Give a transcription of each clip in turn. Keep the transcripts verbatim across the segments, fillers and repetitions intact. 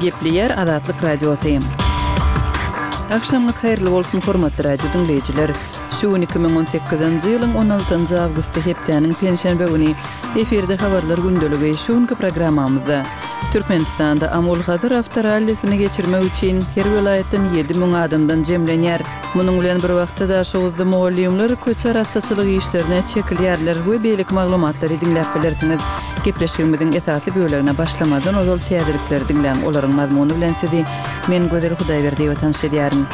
Gepleýär Azatlyk Radiosy. Agşamyňyz haýyrly bolsun, hormatly radio diňleýjiler. Şu gün iki müň on sekizinji ýylyň on altynjy awgusty hepdäniň penşenbe güni. Efirde habarlar gündeligi. Şu günki programmamyzda Türkmenistanda Amul-Hazar awtorallisini geçirmek üçin her welaýatdan ýedi müň adamdan jemlenýär. Munuň bilen bir wagtda Daşoguzda mugallymlar köçe arassaçylyk işlerine çekilýärler we beýleki maglumatlary diňläp bilersiňiz. Gepleşigimiziň esasy bölegine başlamazdan ozal täzelikleri diňläň, olaryň mazmuny bilen sizi men Gözel Hudaýberdiýewa tanyş edýärin.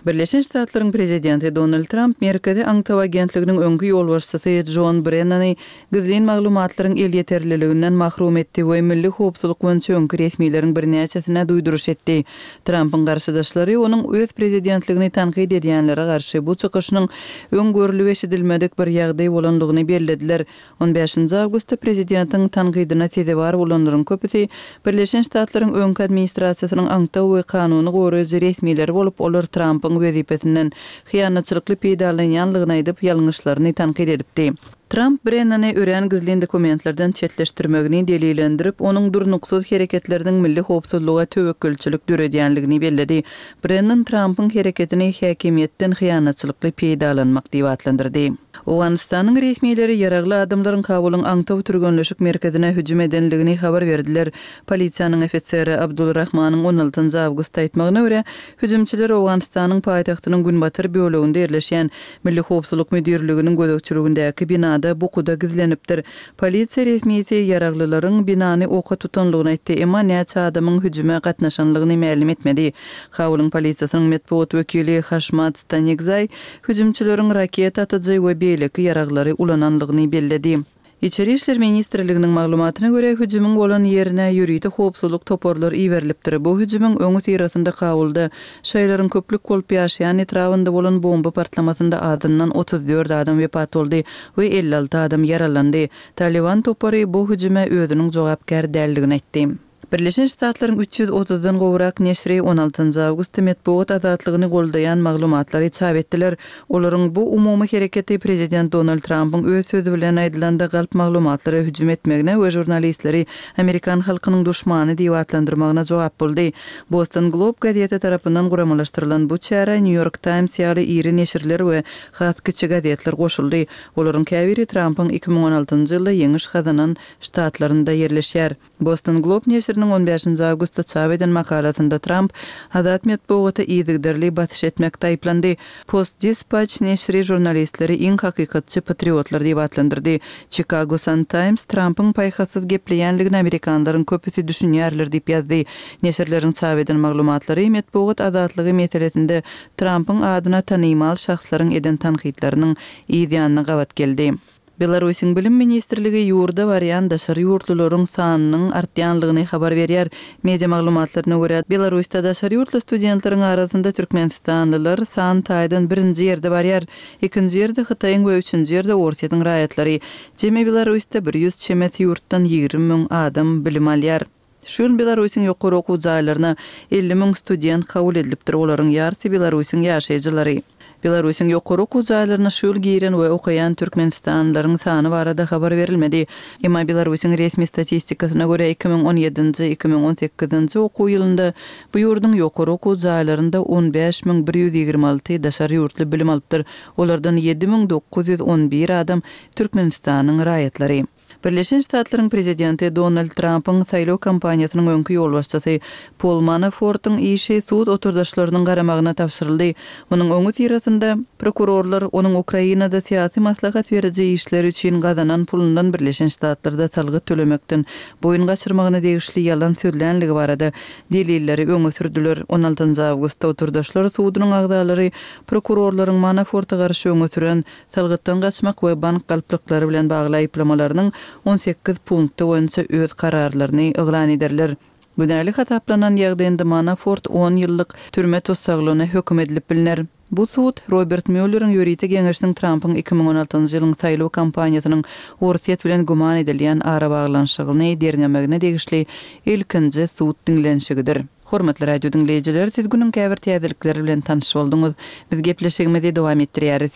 Birleşen Ştatlaryň prezidenti Donald Tramp Merkezi aňtaw agentliginiň öňki ýolbaşçysy Jon Brennany gizlin maglumatlaryň elýeterliliginden mahrum etdi we milli howpsuzlyk boýunça öňki resmileriň birnäçesine duýduryş etdi. Trampyň garşydaşlary onuň öz prezidentligini tankyt edýänlere garşy bu çykyşynyň öň görlüp eşidilmedik bir ýagdaý bolandygyny bellediler. On bäşinji awgustda prezidentiň tankydyna sezewar bolanlaryň köpüsi Birleşen Ştatlaryň öňki administrasiýasynyň aňtaw we kanuny goraýjy resmileri bolup, olar Trampyň wezipesinden hyýanatçylykly peýdalanýanlygyny aýdyp, ýalňyşlaryny tankyt edipdi. Tramp Brennany örän gizlin dokumentlerden çetleşdirmegini delillendirip, onuň durnuksyz hereketleriniň milli howpsuzlyga töwekgelçilik döredýänligini belledi. Brennan Trampyň hereketini häkimiýetden hyýanatçylykly peýdalanmak diýip atlandyrdy. Owganystanyň resmileri ýaragly adamlaryň Kabulyň aňtaw türgenleşik merkezine hüjüm edenligini habar berdiler. Polisiýanyň ofiseri Abdul Rahmanyň on altynjy awgustda aýtmagyna görä, hüjümçiler Owganystanyň paýtagtynyň günbatar böleginde ýerleşýän Milli howpsuzlyk müdirliginiň gözegçiligindäki binada bukuda gizlenipdir. Polisiýa resmisi ýaraglylaryň binany oka tutanlygyny aýtdy, emma näçe adamyň hüjüme gatnaşanlygyny mälim etmedi. Kabulyň polisiýasynyň metbugat wekili Haşmat Stanikzaý hüjümçileriň raketa atyjy we beýleki ýaraglary ulananlygyny belledi. Içeri işler ministrliginiň maglumatyna görä, hüjümiň bolan ýerine ýörite howpsuzlyk toparlary iberilipdir. Bu hüjümiň öňi syrasynda Kabulda şaýlaryň köplük bolup ýaşaýan etrabynda bolan bomba partlamasynda azyndan otuz dört adam wepat boldy we elli alty adam ýaralandy. Taliban topary bu hüjüme özüniň jogapkär däldigini aýtdy. Birleşen Ştatlaryň üç ýüz otuzdan gowrak neşiri on altynjy awgustda metbugat azatlygyny goldaýan maglumatlary çap etdiler. Olaryň bu umumy hereketi prezident Donald Trampyň öz sözi bilen aýdylanda galp maglumatlara hüjüm etmegine we žurnalistleri amerikan halkynyň duşmany diýip atlandyrmagyna jogap boldy. Boston Globe gazeti tarapyndan guramalaşdyrylan bu çärä New York Times ýaly iri neşirler we has kiçi gazetler goşuldy. Olaryň käbiri Trampyň iki müň on altynjy ýylda ýeňiş gazanan ştatlarynda ýerleşýär. Boston Globe neşiriniň on bäşinji awgustda çap eden makalasynda Tramp azat metbugata yzygiderli basyş etmekde aýyplandy. Post Dispatch neşiri žurnalistleri iň hakykatçy patriotlar diýip atlandyrdy. Chicago Sun-Times Trampyň paýhassyz gepleýänligini amerikanlaryň köpüsi düşünýärler diýip ýazdy. Neşirleriň çap eden maglumatlary metbugat azatlygy meselesinde Trampyň adyna tanymal şahslaryň eden tankytlarynyň yz ýanyna gabat geldi. Belarusyň Bilim ministrligi ýurda barýan daşary ýurtlularyň sanynyň artýanlygyny habar berýär. Media maglumatlaryna görä, Belarusda daşary ýurtly studentleriň arasynda türkmenistanlylar san taýdan birinji ýerde barýar. Ikinji ýerde Hytaýyň we üçünji ýerde Orsýetiň raýatlary. Jemi Belarusda bir ýüz çemesi ýurtdan ýigrimi müň adam bilim alýar. Şu ýyl Belarusyň ýokary okuw jaýlaryna elli müň student kabul edilipdir, olaryň ýarysy Belarusyň ýaşaýjylary. Belarusyň ýokary okuw jaýlaryna şu ýyl giren we okaýan türkmenistanlylaryň sany barada habar berilmedi. Emma Belarusyň resmi statistikasyna görä iki müň on ýedinji, iki müň on sekizinji okuw ýylynda bu ýurduň ýokary okuw jaýlarynda on bäş müň bir ýüz ýigrimi alty daşary ýurtly bilim alypdyr. Olardan ýedi müň dokuz ýüz on bir adam Türkmenistanyň raýatlary. Birleşen Ştatlaryň prezidenti Donald Trampyň saýlaw kampaniýasynyň öňki ýolbaşçysy Pol Manafortyň işi sud oturdaşlarynyň garamagyna tabşyryldy. Munuň öňi syrasynda prokurorlar onuň Ukrainada syýasy maslahat beriji işleri üçin gazanan pulundan Birleşen Ştatlarda salgyt tölemekden boýun gaçyrmagyna degişli ýalan sözlänligi barada delilleri öňe sürdüler. On altynjy awgustda oturdaşlar sudunyň agzalary prokurorlaryň Manaforta garşy öňe süren salgytdan gaçmak we bank galplyklary bilen bagly aýyplamalarynyň on sekiz punkty boýunça öz kararlaryny yglan ederler. Günäli hasaplanan ýagdaýynda Manafort on ýyllyk türme tussaglygyna höküm edilip bilner. Bu sud Robert Mülleriň ýörite geňeşiniň Trampyň iki müň on altynjy ýylyň saýlaw kampaniýasynyň Orsýet bilen güman edilýän arabaglanyşygyny derňemegine degişli ilkinji sud diňlenişigidir. Hormatly radio diňleýjiler, siz günüň käbir täzelikleri bilen tanyş bolduňyz. Biz gepleşigimizi dowam etdirýäris.